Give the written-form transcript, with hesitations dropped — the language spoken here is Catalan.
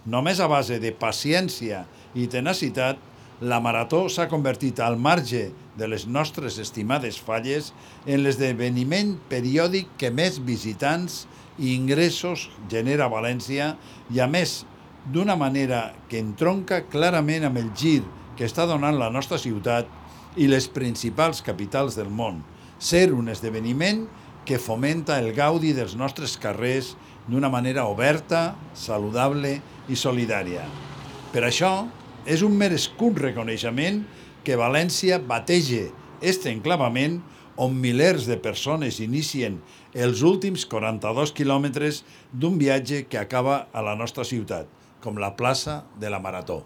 Només a base de paciència i tenacitat, la Marató s'ha convertit al marge de les nostres estimades falles en l'esdeveniment periòdic que més visitants i ingressos genera a València i, a més, d'una manera que entronca clarament amb el gir que està donant la nostra ciutat i les principals capitals del món. Ser un esdeveniment que fomenta el gaudi dels nostres carrers d'una manera oberta, saludable i solidària. Per això, és un merescut reconeixement que València batege este enclavament on milers de persones inicien els últims 42 quilòmetres d'un viatge que acaba a la nostra ciutat, com la plaça de la Marató.